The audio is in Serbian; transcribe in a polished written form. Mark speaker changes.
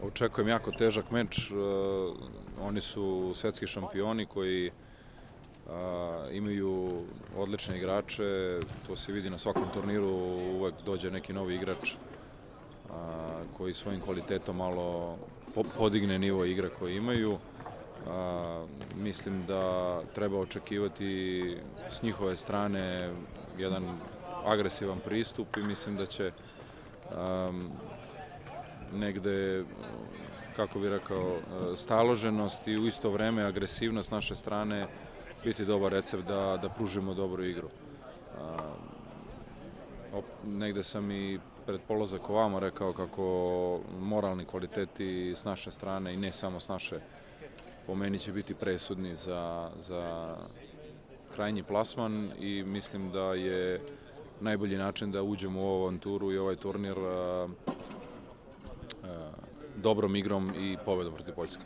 Speaker 1: Očekujem jako težak meč. Oni su svetski šampioni koji imaju odlične igrače. To se vidi na svakom turniru, uvek dođe neki novi igrač koji svojim kvalitetom malo podigne nivo igre koje imaju. Mislim da treba očekivati s njihove strane jedan agresivan pristup i mislim da će negde, kako bih rekao, staloženost i u isto vreme agresivnost naše strane biti dobar recept da pružimo dobru igru. Negde sam i pred polazak ovamo rekao kako moralni kvaliteti s naše strane i ne samo s naše, po meni će biti presudni za krajnji plasman i mislim da je najbolji način da uđemo u ovu avanturu i ovaj turnir dobrom igrom i pobedom protiv Poljske.